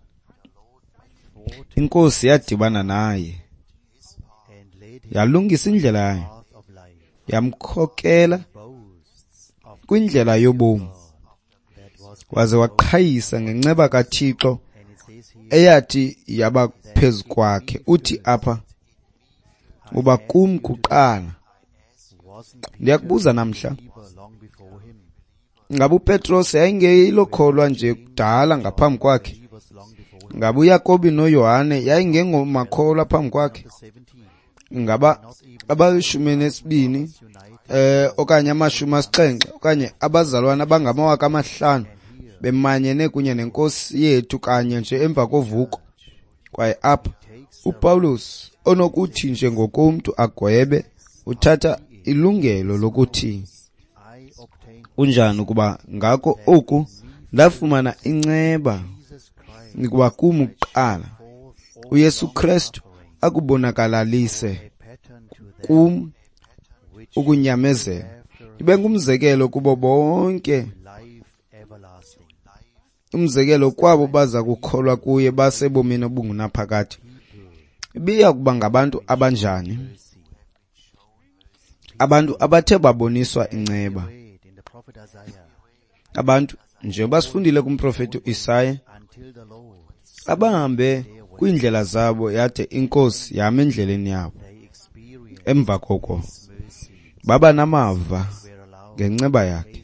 INkosi yadibana naye, yalungisa indlela yayo, yamkhokela kwindlela yobomi, waze waqhayisa ngenceba kaThixo eyathi yaba phezu kwakhe. Uthi apha, uba kum kuqala. Ndiyakubuza namhla, ngabe uPetros yayingeyilokholwa nje kudala ngaphambi kwakhe? Ngabe uYakobi noYohane yayingengomakholwa phambi kwakhe? Ngaba abalishumi nesibini okanye 70 okanye abazalwana abangama 5,000 bemanyene kunye nenkosi yethu kanye nje emva kovuko? Kwaye apha uPawulos onokuthi nje ngokomntu agwebe, uthatha ilungelo lokuthi kunjani ukuba ngako oku ndafumana inceba Ukuba kum kuqala uYesu Kristu akubonakalalise kum ukunyamezela, ibe ngumzekelo kubo bonke, umzekelo kwabo baza kukholwa kuye basebomini obungunaphakade. Ibiya kuba ngabantu abanjani? Abantu abathe baboniswa inceba. Abantu, njengoba sifundile kumprofeti uIsaya, abahambe kwiindlela zabo yade iNkosi yama endleleni yabo. Emva koko baba namava ngenceba yakhe,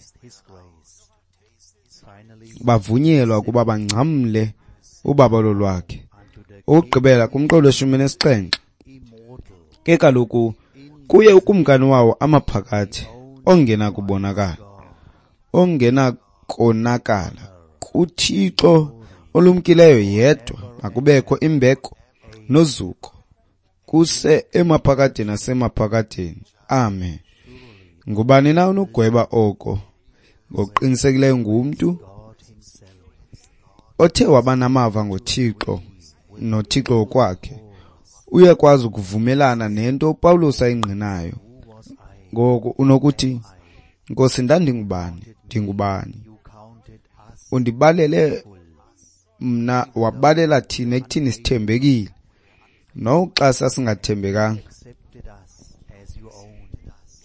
bavunyelwa ukuba bangcamle ubabalo lwakhe. Ukugqibela kumqolo we-17, ke kaloku kuye ukumkani wawo amaphakathi, ongenakubonakala, ongenakonakala, kuThixo olumkileyo yedwa makubekho imbeko nozuko kuse emaphakadeni nasemaphakadeni. Amen. Ngubani na onogweba oko? Ngokuqinisekileyo ngumntu othe waba namava ngoThixo noThixo ngokwakhe. Uyakwazi ukuvumelana nento uPawulos ayingqinayo. Ngoku unokuthi, Nkosi, ndandingubani? Ndingubani? Undibalele mna, wabalela thina ekuthini sithembekile, noxa sasingathembekanga,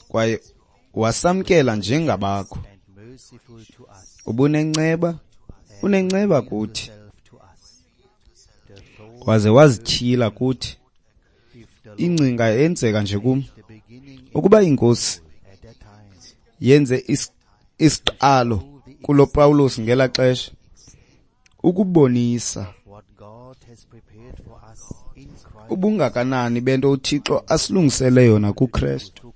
kwaye wasamkela njengabakho. Ubunenceba, unenceba kuthi, waze wazityhila kuthi. Ingcinga yenzeka nje kum, ukuba iNkosi yenze isiqalo kulo Pawulos ngela xesha, ukubonisa ubungakanani bento uThixo asilungisele yona kuKristu,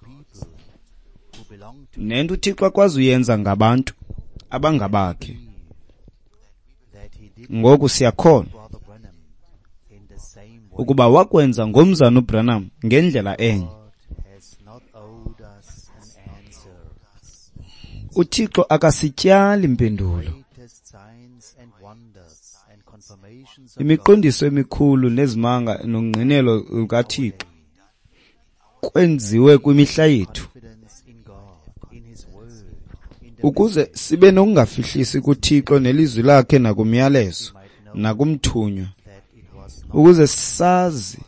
nento uThixo akwazi uyenza ngabantu abangabakhe. Ngoku siyakholwa ukuba wakwenza ngomzana uBranham ngendlela enye. uThixo akasityali impendulo. Imiqondiso emikhulu nezimanga nongqinelo lukaThixo kwenziwe kwimihla yethu ukuze sibe nokungafihlisi kuThixo nelizwi lakhe nakumyalezo nakumthunywa, ukuze sazi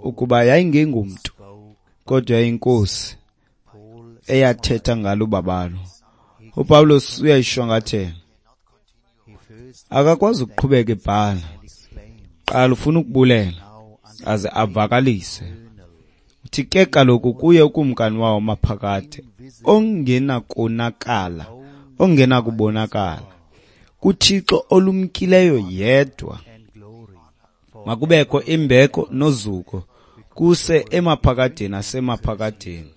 ukuba yayingengumntu kodwa yayinkosi eyathetha ngalo ubabalo. uPawulos uyayishwankathela, akakwazi ukuqhubeka ebhala. Qala ufuna ukubulela aze avakalise. Uthi ke kaloku kuye ukumkani wawo maphakade, ongenakonakala, ongenakubonakala, kuThixo olumkileyo yedwa makubekho imbeko nozuko kuse emaphakadeni nasemaphakadeni.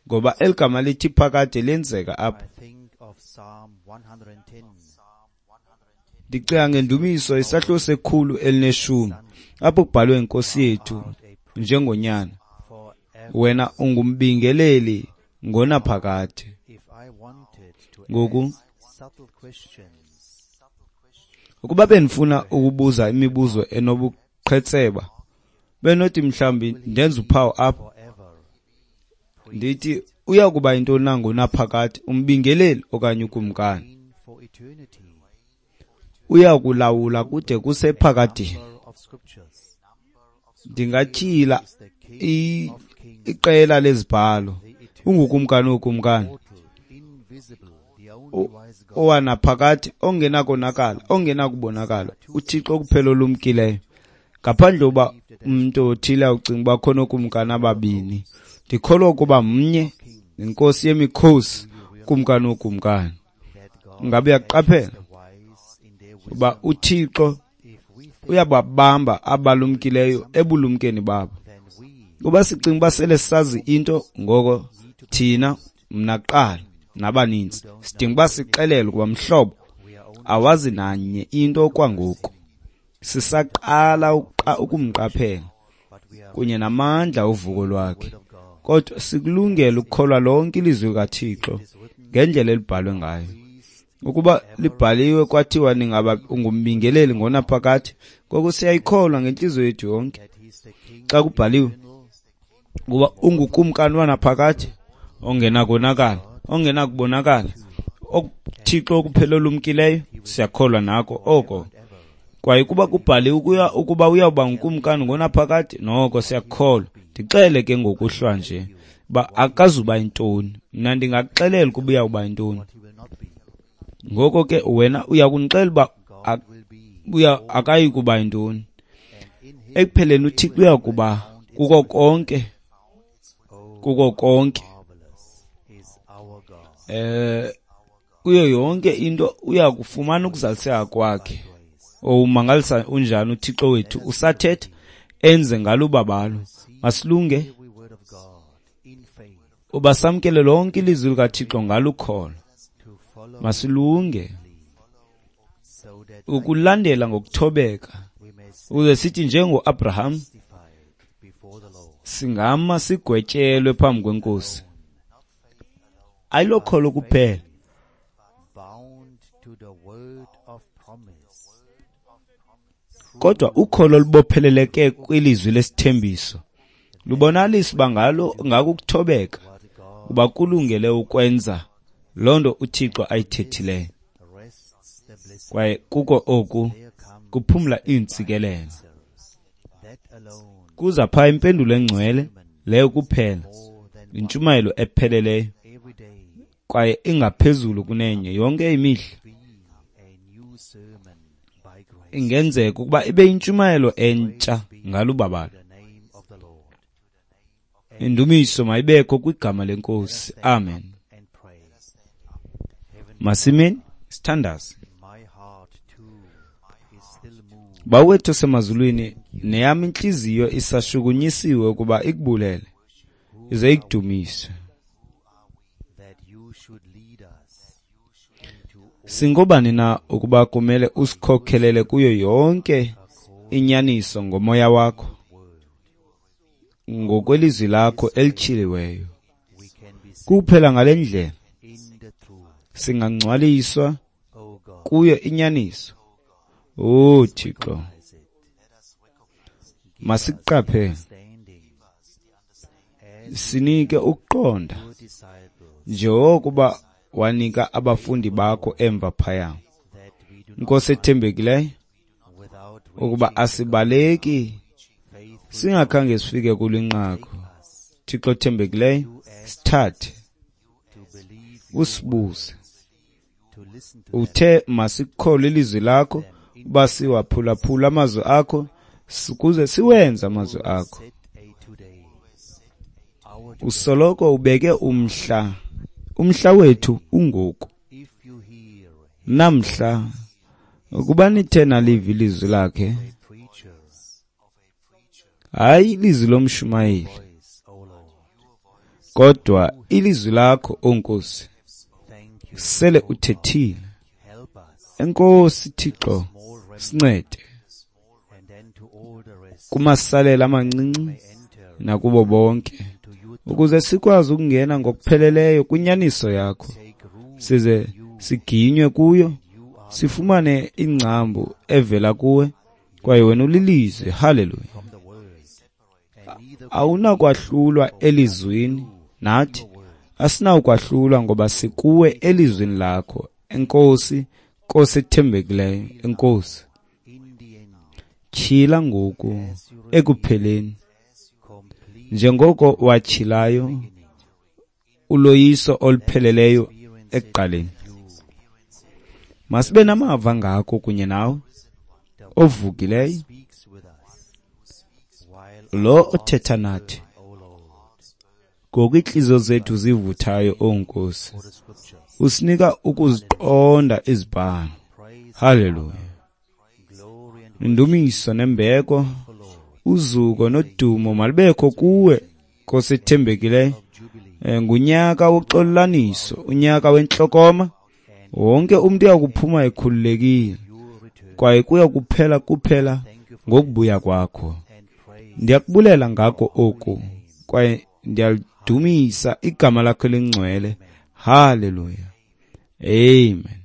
Ngoba eligama lithi phakade lenzeka apha. Ndicinga ngendumiso isahluko se-110, apho kubhalwe inkosi yethu njengonyana, wena ungumbingeleli ngonaphakade. Ngoku ukuba benifuna ukubuza imibuzo enobuqhetseba, benothi mhlawumbi ndenze uphawu apha ndithi uya kuba yintoni na ngonaphakade, umbingeleli okanye ukumkani? Uya kulawula kude kusephakadeni. Ndingatyhila iqela lezibhalo. Ungukumkani wokumkani, owanaphakade, ongenakonakala, ongenakubonakala, uThixo kuphela olumkileyo. Ngaphandle uba umuntu othile ucinga uba khona okumkani ababini, ndikholwa ukuba mnye, inkosi yemikhosi, ukumkani wokumkani. Ngabe uyaqaphela uba uThixo uyababamba abalumkileyo ebulumkeni babo. Kuba sicinga uba sele sazi into, ngoko thina, mna kuqala nabaninzi, sidinga uba sixelele ukuba mhlobo awazi nanye into kwangoku. Sisaqala ukumqaphela kunye namandla ovuko lwakhe, kodwa sikulungele ukukholwa lonke ilizwi likaThixo ngendlela elibhalwe ngayo. Ukuba libhaliwe kwathiwa ningaba ungumbingeleli ngonaphakade, ngoko siyayikholwa ngentliziyo yethu yonke. Xa kubhaliwe ukuba ungukumkani wanaphakade ongenakonakala, ongenakubonakala, Thixo okuphela olumkileyo, siyakholwa nako oko. Kwaye kuba kubhaliwe ukuba uyawuba ngukumkani ngonaphakade, noko siyakholwa. Ndixele ke ngokuhlwa nje uba akazuba yintoni. Mna ndingakuxelela ukuba uyawuba yintoni. Ngoko ke wena uyakundixelela uba akayi kuba yintoni. Ekupheleni uThixo uyakuba kuko konke, kuko konke. Kuyo yonke into uyakufumana ukuzaliseka kwakhe. Umangalisa unjani uThixo wethu, usathetha enze ngalo ubabalo. Masilunge uba samkele lonke ilizwi likaThixo ngalukholo. Masilunge ukulandela ngokuthobeka, ukuze sithi njengoAbraham singama sigwetyelwe phambi kweNkosi. Ayilokholo kuphela, kodwa ukholo olubopheleleke kwilizwi lesithembiso lubonalisa uba ngalo ngako ukuthobeka uba kulungele ukwenza loo nto uThixo ayithethileyo. Kwaye kuko oku kuphumla iintsikelelo. Kuza phaa impendulo engcwele leyo kuphela, intshumayelo epheleleyo kwaye ingaphezulu kunenye yonke imihla. Ingenzeka ukuba ibe yintshumayelo entsha ngalubabalo. Indumiso mayibekho kwigama leNkosi. Amen. Masimeni sithandaze. Bawo wethu osemazulwini, neyam intliziyo isashukunyisiwe ukuba ikubulele ize ikudumise. Singobani na ukuba kumele usikhokhelele kuyo yonke inyaniso ngomoya wakho, ngokwelizwi lakho elityhiliweyo? Kuphela ngale ndlela singangcwaliswa kuyo inyaniso. O Thixo, masiqaphele, sinike ukuqonda njengokuba wanika abafundi bakho emva phaya. Nkosi ethembekileyo, ukuba asibaleki singakhange sifike kulinqaku. Thixo othembekileyo, sithathe usibuze. Uthe masikholwe ilizwi lakho, uba siwaphulaphula amazwi akho, ukuze siwenze amazwi akho. Usoloko ubeke umhla, umhla wethu ungoku. Namhla, ukuba nithe naliva ilizwi lakhe, hayi ilizwi lomshumayeli, kodwa ilizwi lakho, O Nkosi, sele uthethile. Enkosi Thixo, sincede kumasalela amancinci nakubo bonke, ukuze sikwazi ukungena ngokupheleleyo kwinyaniso yakho, size siginywe kuyo, sifumane ingcambu evela kuwe, kwaye wena ulilizwi. Haleluya. Awunakwahlulwa elizwini, nathi asinawukwahlulwa ngoba sikuwe elizwini lakho. Enkosi, Nkosi ethembekileyo, enkosi. Tyhila ngoku ekupheleni, njengoko watyhilayo uloyiso olupheleleyo ekuqaleni. Masibe namava ngako kunye nawe ovukileyo, lo othetha nathi ngoku iintliziyo zethu zivuthayo. O Nkosi, usinika ukuziqonda izibhalo. Haleluya. Indumiso nembeko, uzuko nodumo malibekho kuwe, Nkosi ethembekileyo. Ngunyaka woxolelaniso, unyaka wentlokoma. Wonke umntu uyakuphuma ekhululekile, kwaye kuya kuphela kuphela ngokubuya kwakho. Ndiyakubulela ngako oku, kwaye ndiyalidumisa igama lakho elingcwele. Haleluya. Amen.